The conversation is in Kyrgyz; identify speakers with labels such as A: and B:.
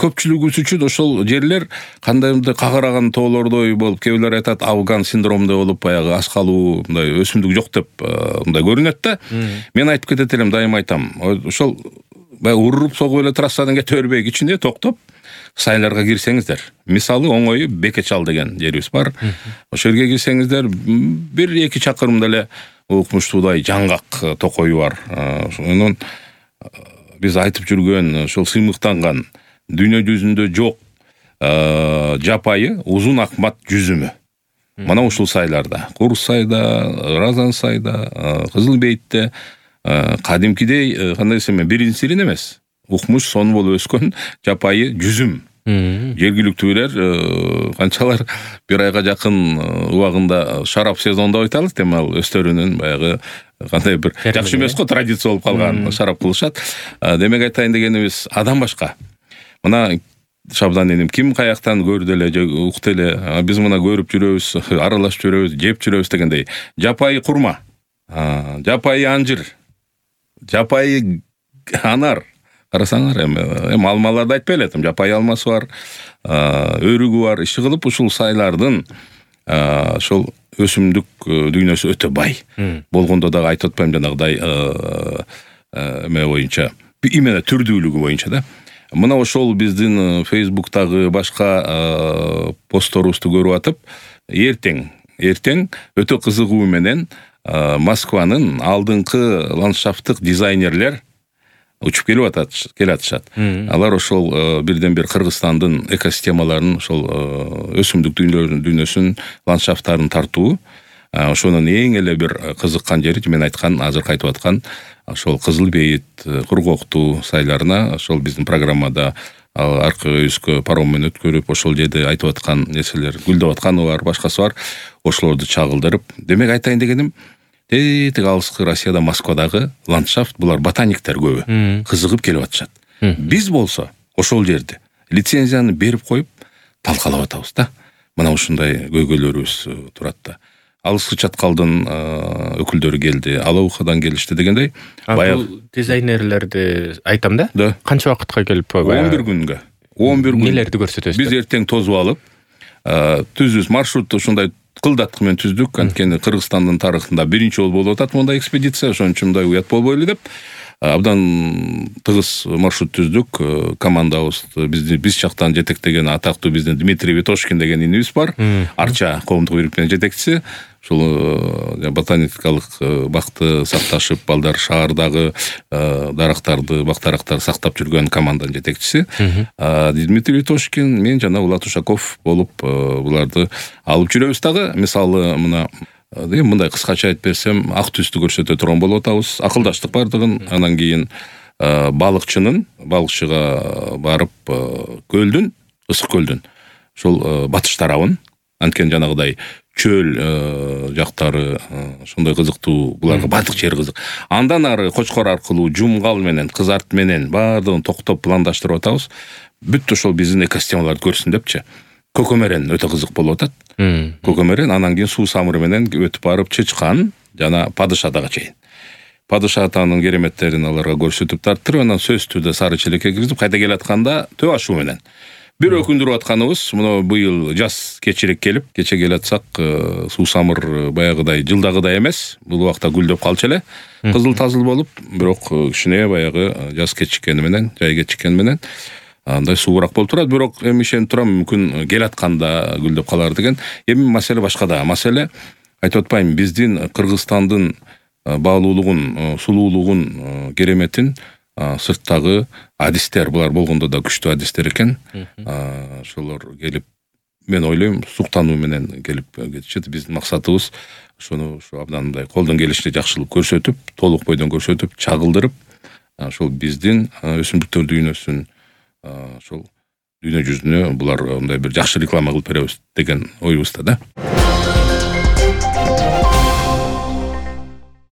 A: көпчүлүгүбүз үчүн ошол жерлер кандайдыр кагараган тоолордой болуп, кээ бирлер айтат Афган синдромундай болуп, баягы аш калуу, мындай өсүмдүк жок деп мындай көрүнөт да. Мен айтып кетет элем, дайыма айтам. Ошол баягы уруп согуп эле трассадан кете бербей кичине токтоп сайларга кирсеңиздер. Мисалы оңою Бекечал деген жерибиз бар. Ошол жерге кирсеңиздер 1-2 чакырымда эле укмуштуудай жаңгак токою бар. Ошонун биз айтып жүргөн ошол сыймыктанган дүйнө жүзүндө жок жапайы узун акмат жүзүмү. Мына ушул сайларда, Курсайда, Разансайда, Кызыл Бейтте кадимкидей кандай десем, биринчисин эмес, укмуш сонун болуп өскөн жапайы жүзүм. Жергиликтүүлөр канчалар бир айга жакын убагында шарап сезонунда айталык, демал өстөрүнүн баягы кандай бир жакшы эмес го, традиция болуп калган шарап кылышат. Демек айтайын дегенибиз, адам башка. Мына Шабдан энем ким каяктан көрдү эле же укту эле, биз мына көрүп жүрөбүз, аралашып жүрөбүз, жеп жүрөбүз дегендей. Жапайы курма, жапайы анжыр, жапайы анар. Карасаңар, эми алмаларды айтпай элетим, жапайы алмасы бар, өрүгү бар. Иши кылып ушул сайлардын ошол өсүмдүк дүйнөсү өтө бай. Болгондо дагы айтып атпайм, жанагыдай эме боюнча, именно түрдүүлүгү боюнча да. Мына ошол биздин Фейсбуктагы башка постторубузду көрүп атып, эртең өтө кызыгуу менен Москванын алдыңкы ландшафттык дизайнерлер учуп келатышат. Алар ошол бирден бир Кыргызстандын экосистемаларын, ошол өсүмдүк дүйнөсүнүн ландшафттарын тартуу. Ошонун эң эле бир кызыккан жери, мен айткан, азыр айтып аткан ошол Кызыл Бейит, Кургоктуу сайларына ошол биздин программада аркы өйүскө паром менен өткөрүп, ошол жерде айтып аткан нерселер, гүлдөп атканы бар, башкасы бар, ошолорду чагылдырып. Демек айтайын дегеним, тетик алыскы Россияда, Москвадагы ландшафт, булар ботаниктер көбү кызыгып келип атышат. Биз болсо ошол жерде лицензияны берип коюп талкалап атабыз да. Мына ушундай көйгөйлөрүбүз турат да. Алыскы чаткалдын өкүлдөрү келди, Алаухадан келишти дегендей.
B: Бул дизайнерлерди айтам да? Канча убакытка келип?
A: 11 күнгө. 11 күн.
B: Нелерди көрсөтөсүз?
A: Биз эртең тозуп алып, түзүбүз маршрутты ушундай кылдаткы менен түздүк. Анткени Кыргызстандын тарыхында биринчи жолу болуп атат мындай экспедиция, ошон үчүн мындай уят болбой эле деп абдан тыгыз маршрут түздүк. Командабыз биз жактан жетектеген атактуу биздин Дмитрий Ветошкин деген инибиз бар. Арча коомдук бийликтеринин жетекчиси. Ушул ботаникалык бакты сакташып, балдар шаардагы дарактарды, бактарактарды сактап жүргөн команданын жетекчиси. Дмитрий Ветошкин, мен жана Улат Ушаков болуп буларды алып жүрөбүз дагы. Мисалы мына мындай кыскача айтып берсем, ак түстү көрсөтө турган болуп атабыз. Акылдаштык бардыгын. Анан кийин балыкчыга барып көлдүн, ысык көлдүн ошол батыш тарабын, анткени жанагыдай чөл жактары ошондой кызыктуу, буларга бардык жер кызык. Андан ары Кочкор аркылуу Жумгал менен, Кызарт менен бардыгын токтоп пландаштырып атабыз. Бүт ошол биздин экосистемаларды көрсүн депчи. Көкөмөрен өтө кызык болуп атат. Көкөмөрен, анан кийин суу самыры менен өтүп барып Чычкан жана Падыш атага чейин. Падыш атанын кереметтерин аларга көрсөтүп тарттырып, анан Сөзтүдө Сары Челекке киргизип, кайта келатканда Төө ашуу менен. Бир өкүндүрүп атканыбыз, мына быйыл жаз кечирээк келип, кече келатсак, суу самыр баягыдай жылдагыдай эмес. Бул убакта гүлдөп калчу эле, кызыл-тазыл болуп, бирок кичине баягы жаз кечиккени менен, жай кечиккени менен андай суураак болуп турат. Бирок эми ишенип турам, мүмкүн келатканда гүлдөп калар деген. Эми маселе башкада. Маселе айтып атпайм, биздин Кыргызстандын баалуулугун, сулуулугун, кереметин сырттагы адистер, булар болгондо да күчтүү адистер экен. Ошолор келип, мен ойлойм, суктануу менен келип кетишет. Биздин максатыбыз ошону абдан мындай колдон келишинче жакшылык көрсөтүп, толук бойдон көрсөтүп, чагылдырып, ошол биздин өсүмдүктөр дүйнөсүн ошол дүйнө жүзүнө булар мындай бир жакшы реклама кылып беребиз деген оюбузда да.